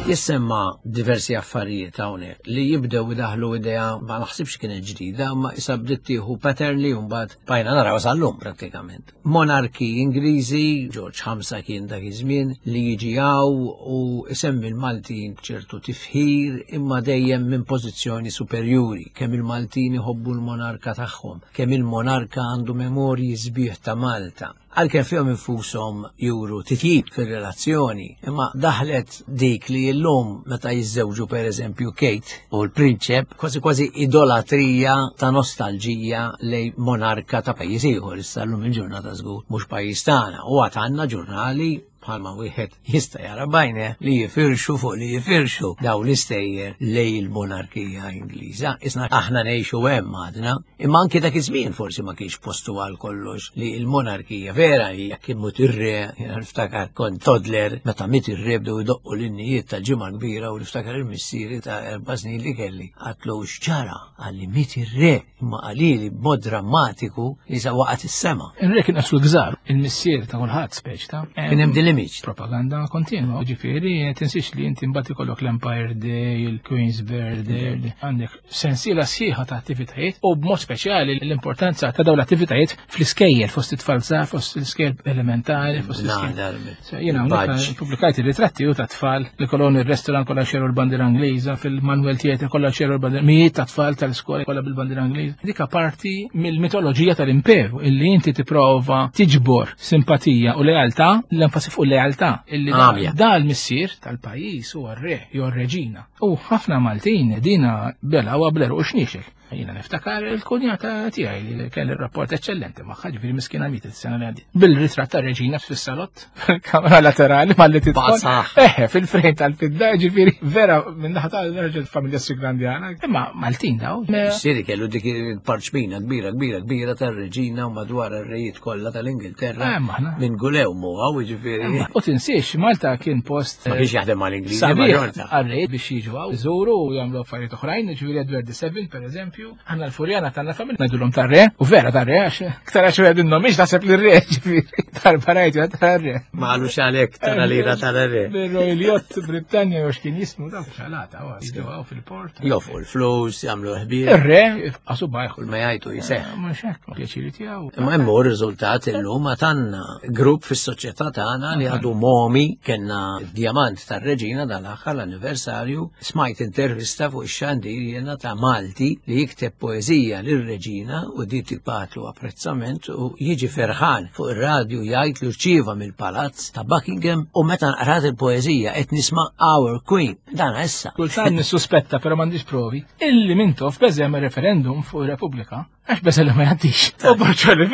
Jissemma diversi affarijiet hawnhekk li jibdew idaħlu idea ma naħsibx kienet ġdida, ma issa bdiet tieħu pattern li mbagħad bajna naraw sal-lum prattikament. Monarki Ingliżi, George ħamsa kien dak iż-żmien, li jiġi hawn u isemmi l-Maltin b'ċertu tifħir imma dejjem minn pożizzjoni superjuri, kemm il-Maltin iħobbu l-monarka tagħhom, kemm il-monarka għandu memorji sbieħ ta' Malta. Għalkemm fihom infushom juru titjib fir-relazzjoni, imma daħlet dik li llum meta jiżżewġu pereżempju Kate u l-prinċep, kważi kważi idolatrija ta' nostalġija lej monarka ta' pajjiż ieħor, issa llum il-ġurnata żgur mhux pajjiż tagħna, u għad għandna ġurnali bħalma wieħed jista' jara bajne li jifirxu fuq li jifirxu daw l-istejjer lej il-monarkija Ingliża. Isna aħna ngħixu hemm għadna, imma anki dak iż-żmien forsi ma kienx postu għal kollox li l-monarkija vera hija kien mut ir-re, jiena niftakar kont toddler meta miet ir-re bdew idoqqu l-innijiet tal-ġimgħa kbira u niftakar il-missieri ta' erba' snin li kelli. Għatlu x'ġara? Qalli miet ir-re, imma qalili b'mod drammatiku li sa waqgħet is-sema. Ir-re kien qaslu gżar, il-missier ta' kulħadd speċ ta' Kien hemm din l-image. Propaganda kontinwa, ġifieri tinsiex li inti mbagħad ikollok l-Empire Day, il-Queen's Birthday, għandek sensiela sħiħa ta' attivitajiet u b'mod speċjali l-importanza ta' dawn l-attivitajiet fl-iskejjel fost it-tfal żgħar, fost l-iskejjel elementari, fost l-iskejjel. Jiena hawnhekk pubblikajt ir-ritratti u ta' tfal li kolon ir-restaurant kollha xeru l-bandiera Ingliża, fil-Manuel Theatre kollha xeru l-bandiera, mijiet ta' tfal tal-iskola kollha bil-bandiera Ingliża. Dik parti mill-mitoloġija tal-imperu illi inti tipprova tiġbor simpatija u lealtà, l-enfasi fuq lealtà illi da l-missier tal-pajjiż huwa r-re jew r-reġina. U ħafna Maltin dina bela u bleru u xniexel. Jiena niftakar il-kunjata tiegħi li kelli rapport eċċellenti magħha, ġifieri miskina mietet is-sena li għaddiet. Bil-ritratt tar-reġina fis-salott, kamera laterali malli tidħol. Eħe, fil-frejn tal-fidda, ġifieri vera minn naħa tal-raġel familja Sigrandjana. Imma Maltin daw. Missieri kellu dik il-parċmina kbira kbira kbira tar-reġina u madwar ir-rejiet kollha tal-Ingilterra. Minn gulew muha, ġifieri. U tinsiex, Malta kien post. Ma kienx jaħdem mal-Ingliżi, għar-rejiet biex jiġu hawn, iżuru u jagħmlu affarijiet oħrajn, ġifieri Edward the Seventh pereżempju. Għanna l-Furjana tagħna familja ngħidulhom tar-re, u vera tar-re għax iktar għax wieħed minnhom mhix taħseb li r-re, ġifieri darba rajtu tar-re. Ma qalux għalhekk tara lira tar-re. Bir-Royal Yacht Brittanja jew x'kien jismu dak xalata jiġu hawn fil-port. Jofu l-flus, jagħmlu ħbieb. Ir-re qasu bajħu. Kull ma jgħidu jseħħ. Mhux hekk, pjaċiri tiegħu. Imma hemm hu r-riżultat illum għad għandna grupp fis-soċjetà tagħna li għadu momi kellna d-diamant tar-reġina dal-aħħar l-anniversarju, smajt intervista fuq ix-xandir jiena ta' Malti li jikteb poeżija lir-reġina u di tibgħatlu apprezzament u jiġi ferħan fuq ir-radju jgħid li rċieva mill-palazz ta' Buckingham u meta nqrat il-poeżija qed nisma' Our Queen. Dan issa. Kultant nissuspetta però m'għandix provi illi Mintoff beża jagħmel referendum fuq ir-Repubblika għax beża li ma jgħaddix. U Borċoli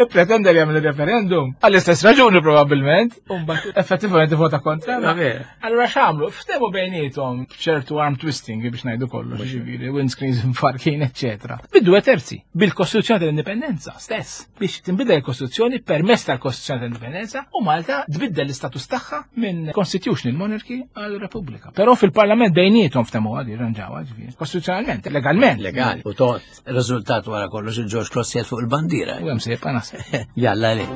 pretenda li jagħmel referendum għall-istess raġuni probabbilment u mbagħad effettivament vota kontra. Allura x'għamlu? Ftehmu bejniethom ċertu arm twisting biex ngħidu kollox, ġifieri windscreens mfarkin, eċċetera. Biddu terzi bil-Kostituzzjoni tal-Indipendenza stess biex tinbidel il-Kostituzzjoni permezz tal-Kostituzzjoni tal-Indipendenza u Malta tbiddel l-istatus tagħha minn Constitutional Monarchy għal Repubblika. Però fil-Parlament bejniethom ftehmu għadi rranġawha ġifieri. Kostituzzjonalment, legalment. Legali. U tot, riżultat wara kollox il-George Cross jgħid fuq il-bandiera. U hemm se jibqa' naħseb. Jalla li.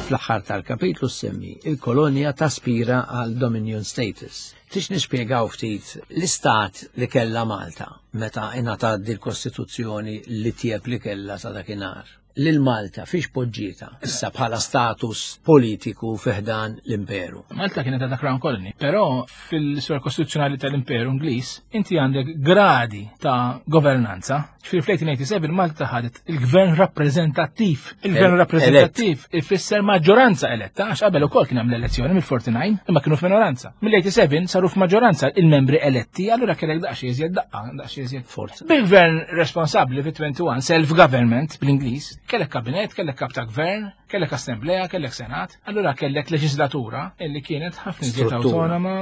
Fl-aħħar tal-kapitlu semmi il-kolonja taspira għal Dominion status. Tix nispjegaw ftit l-istat li kellha Malta meta ingħatat dil-Kostituzzjoni li tieb li kellha sa dakinhar. Lil Malta fiex poġġieta issa bħala status politiku fiħdan l-imperu. Malta kienet għadha Crown Colony, però fil-istorja kostituzzjonali tal-Imperu Ingliż inti għandek gradi ta' governanza. Ġifieri fl-eighteen eighty-seven Malta ħadet il-gvern rappreżentattiv. Il-gvern rappreżentattiv ifisser maġġoranza eletta, għax qabel ukoll kien hemm l-elezzjoni mill-forty-nine, imma kienu f'minoranza. Mill-eighty-seven saru f'maġġoranza il-membri eletti, allura kellek daqsxejn iżjed daqqa, daqsxejn iżjed forza. Bil-gvern responsabbli fit-twenty-one, self-government bl-Ingliż, kellek kabinet, kellek kap ta' gvern, kellek assemblea, kellek senat, allura kellek leġislatura illi kienet ħafna iżjed autonoma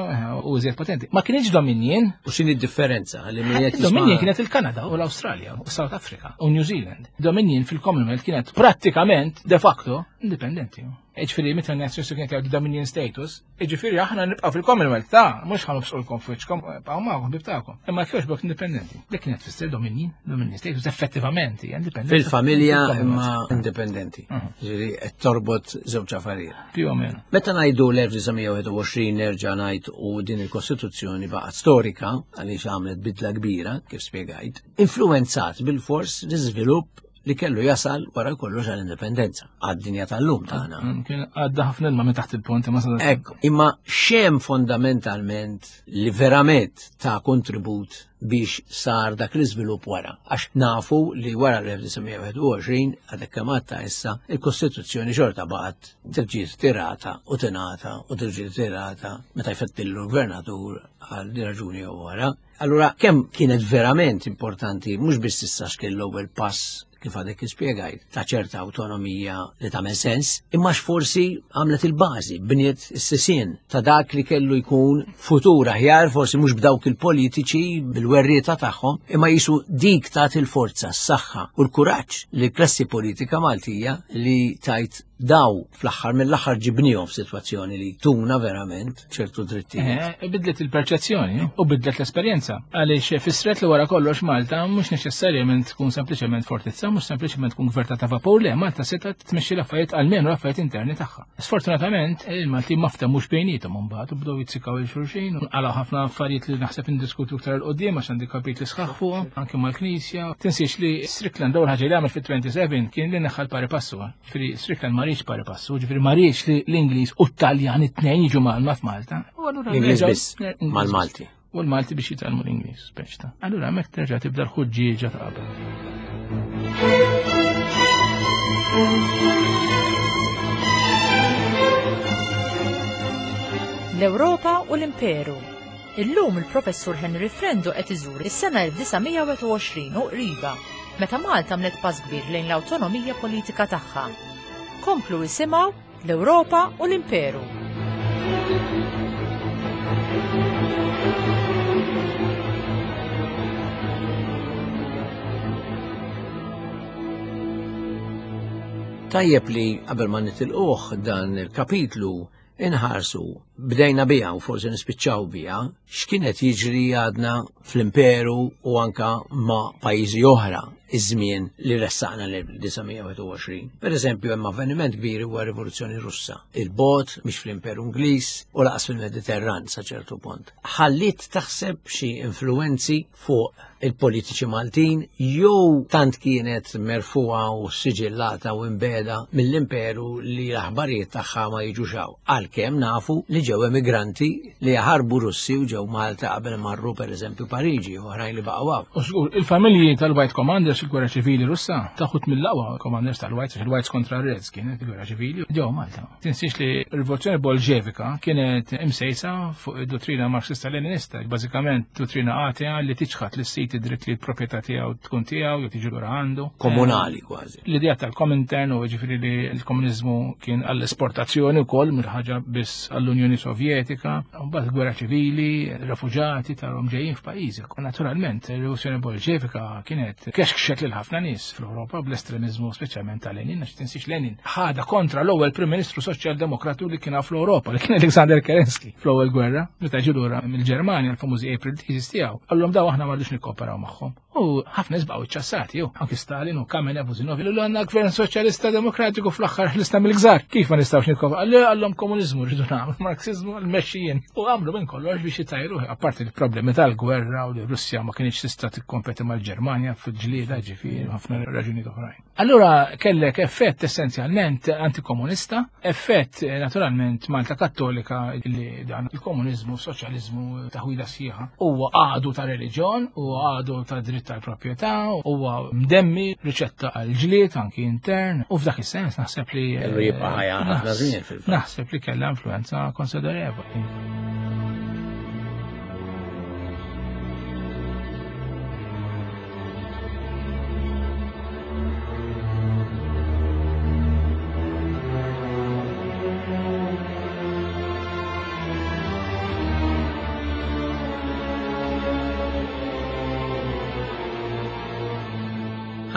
u iżjed potenti. Ma kienx Dominion. U x'inhi d-differenza? Dominion kienet il-Kanada u l-Awstralja u South Africa u New Zealand. Dominion fil-Commonwealth kienet prattikament de facto indipendenti. Ġifieri meta n-nazzjoni kienet jgħidu Dominion status, ġifieri aħna nibqgħu fil-Commonwealth ta' mhux ħanobsqulkom f'wiċċkom, bqgħu magħkom ħbib tagħkom. Imma kiex bok indipendenti. Dik kienet tfisser Dominion, Dominion status effettivament hija indipendenti. Fil-familja imma indipendenti. Ġifieri qed torbot żewġ affarijiet. Più o meno. Meta ngħidu l-elf disa' mija wieħed u għoxrin nerġa' ngħid u din il-Kostituzzjoni baqgħet storika għaliex għamlet bidla kbira kif spjegajt, influenzat bil-fors l-iżvilupp li kellu jasal wara kollox għall-indipendenza, għad-dinja tal-lum tagħna. Kien għadda ħafna ilma minn taħt il-pont imma sa Ekku, imma xem fondamentalment li verament ta' kontribut biex sar dak l-iżvilupp wara. Għax nafu li wara l-elf disa' mija wieħed u għoxrin, għadek kemm għadta issa, il-Kostituzzjoni xorta baqgħet terġi tirata u tingħata u terġi tirata meta jfettillu l-gvernatur għal din raġuni jew wara. Allura kemm kienet verament importanti, mhux biss issa x'kien l-ewwel pass kif għadek ispjegajt, ta' ċerta autonomija li tagħmel sens, imma x'forsi għamlet il-bażi, bniet is-sisien ta' dak li kellu jkun futur aħjar, forsi mhux b'dawk il-politiċi bil-werrieta tagħhom, imma jisu dik tat il-forza, s-saħħa u l-kuraġġ li klassi politika Maltija li tajt daw fl-aħħar mill-aħħar ġibnihom f'sitwazzjoni li tuna verament ċertu drittijiet. Eh, bidlet il-perċezzjoni u bidlet l-esperjenza. Għaliex fissret li wara kollox Malta mhux neċessarjament tkun sempliċement fortizza, mhux sempliċement tkun gverta ta' vapur, le Malta setgħet tmexxi l-affarijiet għalmenu l-affarijiet interni tagħha. Sfortunatament il-Maltin ma ftehmux bejniethom imbagħad u bdew jitzikaw il xulxin u nqalgħu ħafna affarijiet li naħseb indiskutu iktar 'il quddiem għax għandi kapitli sħaħ fuqhom anke mal-Knisja. Tinsiex li Strickland l-ewwel ħaġa li għamel fit-twenty-seven kien li neħħa l-pari passu. Ġifieri Strickland ma riedx pari passu, ġifieri ma riedx li l-Ingliż u t-Taljan it-tnejn jiġu magħna f'Malta. U allura L-Ingliż nerġgħu- biss, L-Ingliż mal-Malti. biss. U l-Malti biex jitgħallmu l-Ingliż, speċta. Allura hemmhekk terġa' tibda l-ħuġġieġa ta' qabel. L-Ewropa u l-Imperu. Illum il-Professur Henry Frendo qed iżur is-sena elf disa' mija wieħed u għoxrin u qriba, meta Malta għamlet pass kbir lejn l-awtonomija politika tagħha. Komplu isimgħu l-Ewropa u l-Imperu. Tajjeb li qabel ma nitilquh dan il-kapitlu inħarsu, bdejna biha u forsi nispiċċaw biha, x'kienet jiġri għadna fl-Imperu u anka ma' pajjiżi oħra iż-żmien li ressaqna l-elf disa' mija wieħed u għoxrin. Per eżempju, hemm avveniment kbir huwa r-Rivoluzzjoni Russa. Il-bot mhix fl-Imperu Ingliż u laqas fil-Mediterran sa ċertu punt. Ħallit taħseb xi influenzi fuq il-politiċi Maltin jew tant kienet merfuha u siġillata u imbeda mill-Imperu li l-aħbarijiet tagħha ma jiġux hawn. Għalkemm nafu li ġew emigranti li jaħarbu Russi u ġew Malta qabel marru per eżempju Pariġi u oħrajn li baqgħu hawn. U żgur, il-familji tal-White Commanders il-Gwerra Ċivili Russa taħut mill-aqwa Commanders tal-Whites, il-Whites kontra Reds kienet il-Gwerra Ċivili ġew Malta. Tinsiex li r-Rivoluzzjoni Bolxevika kienet imsejsa fuq id-dottrina Marxista-Leninista, bażikament dottrina atea li tiċħat lis-sit id-dritt li l-proprjetà tiegħu tkun tiegħu jew tiġi lura għandu. Komunali kważi. L-idea tal-Komintern u ġifieri li l-komuniżmu kien għall-esportazzjoni wkoll mhux ħaġa biss għall-Unjoni Sovjetika, u mbagħad gwerra ċivili, refuġati tarhom ġejjin f'pajjiżi. U naturalment, ir-Rivoluzzjoni Bolxevika kienet kexkxet lil ħafna nies fl-Ewropa bl-estremiżmu speċjalment ta' Lenin, għax tinsiex Lenin ħada kontra l-ewwel Prim Ministru Soċjaldemokratu li kien fl-Ewropa, li kien Alexander Kerensky fl-ewwel gwerra, meta ġie lura mill-Ġermanja l-famużi April Thesis tiegħu. Qallhom daw aħna ma rridux nikkooperaw magħhom. U ħafna nies baqgħu ċċassati, jew anki Stalin u Kamenev u Zinoviev li għandna gvern soċjalista demokratiku fl-aħħar ħlisna mill-gżar. Kif ma nistgħux nikkooperaw? Qallu għallhom komuniżmu rridu nagħmlu, Marxiżmu għall-mexxijin. U għamlu minn kollox biex jitajru, apparti l-problemi tal-gwerra u li Russja ma kienx tista' tikkompeti mal-Ġermanja fil-ġlieda, ġifieri ħafna raġunijiet oħrajn. Allura kellek effett essenzjalment antikomunista, effett, eh, naturalment Malta Kattolika li dan il-komuniżmu, soċjaliżmu taħwida sħiħa huwa għadu ta' reliġjon, huwa għadu ta' dritt tal-proprjetà, huwa mdemmi riċetta għal ġlied anki intern, u f'dak is-sens naħseb li, Kellu jibqa' ħajja ħafna naħs- żmien fil-fatt. Naħseb li kellha influenza konsiderevoli.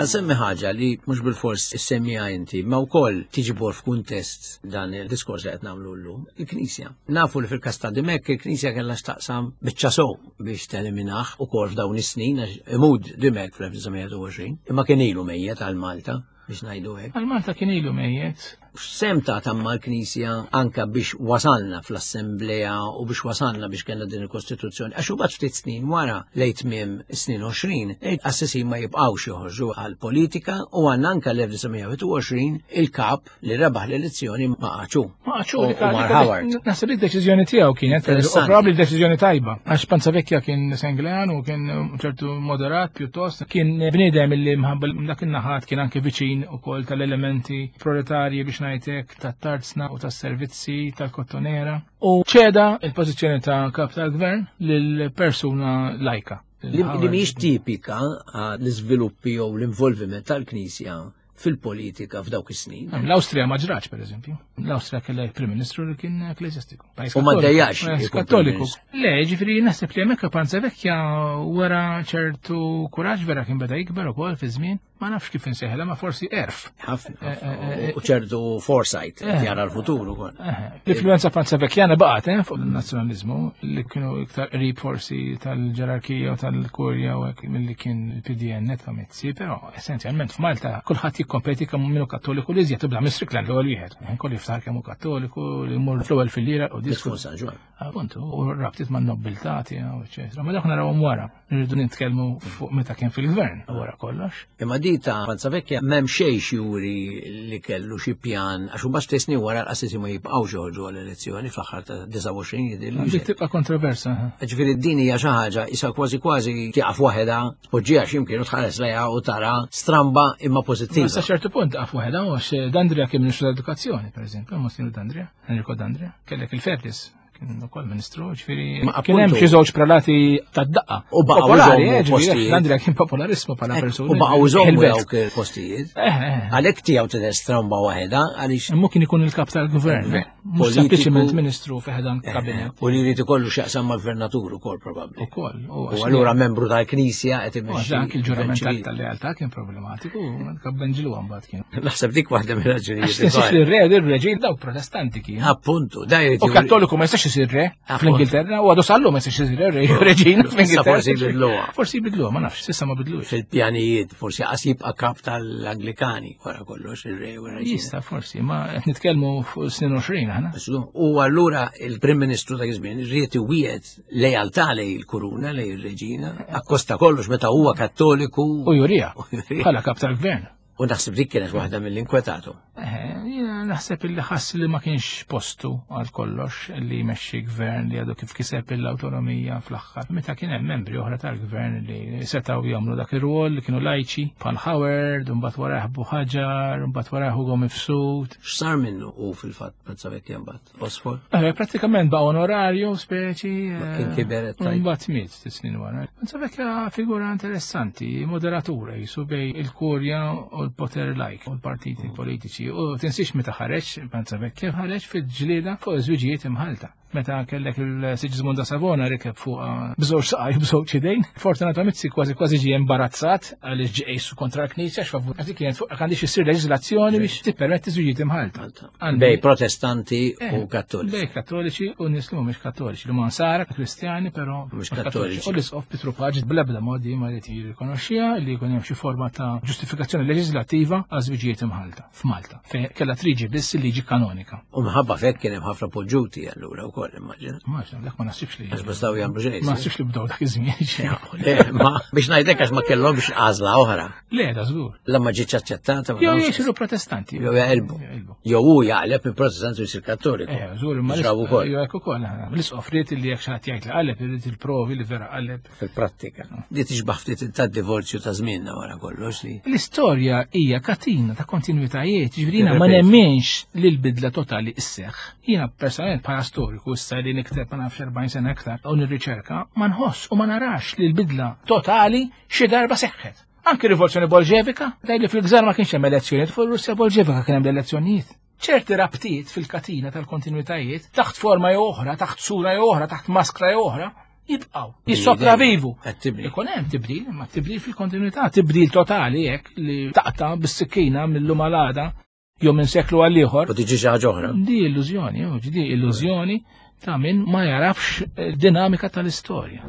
Ħansemmi ħaġa li mhux bil-fors issemmija inti, ma wkoll tiġi bor f'kuntest dan il-diskors li qed nagħmlu llum, il-Knisja. Nafu li fil-każ ta' Dimech il-Knisja kellha x'taqsam biċċa sew biex teliminah ukoll f'dawn is-snin għax imud Dimech fl-elf disa' mija u għoxrin, imma kien ilu mejjet għal Malta biex ngħidu hekk. Għal Malta kien ilu mejjet. X'sehem ta' tamma l-Knisja anka biex wasalna fl-Assemblea u biex wasalna biex kellna din il-Kostituzzjoni. Għax imbagħad ftit snin wara lejn tmiem is-snin għoxrin, il-qassisin ma jibqgħux joħorġu għall-politika u għandna anka l-elf disa' mija wieħed u għoxrin il-kap li rebaħ l-elezzjoni ma qaċu. Ma qaċu, U dik għal- Mar dik għal- Howard. Naħseb li d-deċiżjoni tiegħu kienet, u Interessanti. probabbli deċiżjoni tajba. Għax Panzavecchia kien Senglean u kien ċertu moderat pjuttost, kien bniedem illi mħabba dak in-naħat kien anke viċin ukoll tal-elementi proletarji biex ngħidlek tat-tarzna u tas-servizzi tal-kottonera. U ċeda il-pożizzjoni ta' kap tal-gvern lil persuna lajka. Li li mhijiex tipika l-iżviluppi jew l-involviment tal-Knisja fil-politika f'dawk is-snin. L-Awstrija ma ġrax, per eżempju. L-Awstrija kellha prim ministru li kien ekklesjastiku. Pajjiż U ma kattoliku. ddejjax Pajjiż ikun prim kattoliku. ministru. Le, ġifieri naħseb li hemmhekk Panzavecchia wara ċertu kuraġġ vera kien beda jikber ukoll fi żmien, ma nafx kif insejħilha, ma forsi erf. Ħafna, Eh, eh, eh, u ċertu foresight, Eh. jara l-futur ukoll. Eh, L-influenza Panzavecchiana baqgħet eh, fuq il-nazzjonaliżmu li kienu iktar qrib forsi tal-ġerarkija u tal-kurja u hekk milli kien il-P D N ta' Mizzi, però essenzjalment f'Malta kulħadd jikkompeti kemm minnu kattoliku li iżjed tibda minn Strickland l-ewwel wieħed. Eh, kollu jiftaħar kemm hu kattoliku li jmur fl-ewwel fil-lira u disku. Disku San Ġwann. Appuntu, u rabtiet man nobiltà tiegħu, eċetera. Ma dak narawhom wara. Nirridu nitkellmu fuq meta kien fil-gvern wara kollox. Imma di ta' Panzavecchia m'hemm xejn juri li kellu xi pjan, għax imbagħad ftit snin wara l-qassisi ma jibqgħux joħorġu għall-elezzjoni fl-aħħar ta' disgħa u għoxrin jidhirli. Dik tibqa' kontroversa. Ha. Ġifieri din hija xi ħaġa isa kważi kważi tieqaf waħedha, tpoġġiha x'imkien u tħares lejha u tara stramba imma pożittiva. Ma sa ċertu punt taqaf waħedha għax Dandria kien ministru tal-edukazzjoni, pereżempju, Monsignor Dandria, Enrico Dandria, kellek il-Ferris kien ukoll ministru, ġifieri Ma kien hemm appuntu xi żewġ prelati tad-daqqa. U baqgħu Popolari, jżommu eh, ġifieri, postijiet. Dandria kien popolarissmu bħala Eh, persuna. U baqgħu jżommu Il-belt. dawk il-postijiet. Eh, eh. Għalhekk tiegħu tidher stramba waħedha għaliex Imma kien ikun il-kap tal-gvern, Gvern. mhux Politiku. sempliċiment ministru fi ħdan Eh, kabinet. U li jrid ikollu x'jaqsam mal-gvernatur ukoll probabbli. Ukoll, u U għax allura membru tal-Knisja qed U għax imexxi anki l-ġurament gvern ċivili. tal-lealtà kien problematiku, kabbenġilu mbagħad kien. Naħseb dik waħda mill-raġunijiet Għax tinsiex ukoll. li r-re, ir-reġin dawk protestanti kien. Appuntu, da jrid U juri- kattoliku ma jistax isir re Appuntu. fl-Ingilterra, u għadu sallu ma jistax isir re, re reġina fl-Ingilterra. Forsi jbidluha. Forsi jbidluha, ma nafx, s'issa ma bidluhiex. Fil-pjanijiet, forsi qas jibqa' kap tal-Anglikani wara kollox ir-re u r-reġina. Jista' forsi, ma qed nitkellmu fuq snin għoxrin aħna. U allura il-Prim Ministru ta' żmien ried iwiegħed lealtà lejn il-kuruna, lejn ir-reġina, akkosta kollox meta huwa kattoliku. U jurija, U jurija. bħala kap tal-gvern. U naħseb dik kienet waħda mill-inkwetatu. Eh, jiena naħseb illi ħass li ma kienx postu għal kollox li jmexxi gvern li għadu kif kiseb l-awtonomija fl-aħħar. Meta kien hemm membri oħra tal-gvern li setgħu jagħmlu dak ir-rwol li kienu lajċi bħal Howard, u mbagħad warah Buhagiar, u mbagħad warah Ugo Mifsud. X'sar minnu u fil-fatt Panzavecchia mbagħad? Osfol? Eh, prattikament baqa' onorarju speċi. Ma kien kiber qed tgħid. Mbagħad miet sitt snin wara. Panzavecchia figura interessanti, moderatura jisu bej il-kurja u l-poter lajk u l-partiti politiċi. U tinsiex meta ħareġ Panzavecchia ħareġ fil-ġlieda fuq iż-żwiġijiet imħalta. Meta kellek il-Sigismund da Savona rikeb fuq bżewġ saqaj u bżewġ idejn. Fortunato Mizzi kważi kważi ġie imbarazzat għaliex ġie qisu kontra l-Knisja x'favur. Għax dik kienet fuq għandix issir leġiżlazzjoni biex tippermetti żwiġijiet imħalta. Għandi- Bej protestanti u Eh, kattoliċi. Bej kattoliċi u nies li mhumiex kattoliċi, li huma nsara kristjani però Mhux kattoliċi. U l-isqof Pietru Pace bl-ebda modi ma jrid jirrikonoxxiha li jkun hemm xi forma ta' ġustifikazzjoni leġislattiva għal żwiġijiet imħalta f'Malta, fejn kellha triġi biss il-liġi kanonika. U minħabba fekk kien hemm ħafna poġġuti allura wkoll immaġina. Ma nafx, dak ma naħsibx li. Għax ma stgħu jagħmlu xejn. Ma naħsibx li bdew dak iż-żmien. Le, ma biex ngħidlek għax ma kellhomx għażla oħra. Le, da żgur. La ma ġietx aċċettata. ma Jew nafx. jisiru protestanti. Jew jaqilbu. Jaqilbu. Jew hu jaqleb minn protestanti u jsir kattoliku. Eh, żgur, imma Ġrabu wkoll. Jew hekk ukoll. L-isqof ried li jekk xi ħadd jgħid li qaleb irid il-provi li vera qaleb. Fil-prattika. Di tixbaħ ftit tad-divorzju ta' żmienna wara kollox li. L-istorja hija katina ta' kontinuitajiet, ġifieri jiena ma Tirrepeti. nemminx li l-bidla totali isseħħ. Jiena personalment bħala storiku issa li nikteb ma nafx erbgħin sena aktar u nirriċerka, ma nħoss u ma narax li l-bidla totali xi darba seħħet. Anki rivoluzzjoni bolxevika, daj li fil-gżar ma kienx hemm elezzjonijiet, fuq Russja bolxevika kien hemm l-elezzjonijiet. Ċerti rabtiet fil-katina tal-kontinuitajiet, taħt forma jew oħra, taħt sura jew oħra, taħt maskra jew oħra, jibqgħu, jissopravivu. Qed tibni. Ikun hemm tibdil, imma tibdil fil-kontinuità, tibdil totali hekk li taqta' bis-sikkina mill-lum għal għada jew minn seklu għal ieħor. U tiġi xi ħaġa oħra. Di illużjoni, jew di illużjoni ta' min ma jarafx dinamika tal-istorja.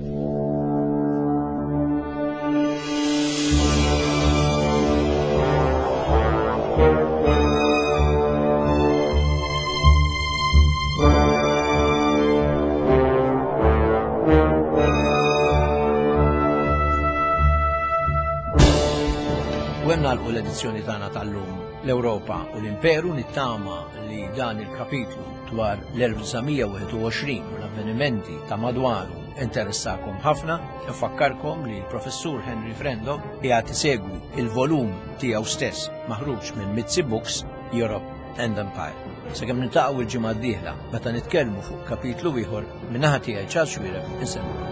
Dan nagħlqu l-edizzjoni tagħna tal-lum, l-Ewropa u l-Imperu. Nittama li dan il-kapitlu dwar l-elf disa' mija u wieħed u għoxrin u l-avvenimenti ta' madwaru interessakom ħafna. Nfakkarkom li l-professur Henry Frendo qiegħed isegwi il-volum tiegħu stess maħruġ minn Mizzi Books, Europe and Empire. Sakemm niltaqgħu il-ġimgħa d-dieħla meta nitkellmu fuq kapitlu ieħor, min-naħa tiegħi, Charles Xuereb, insellmilkom.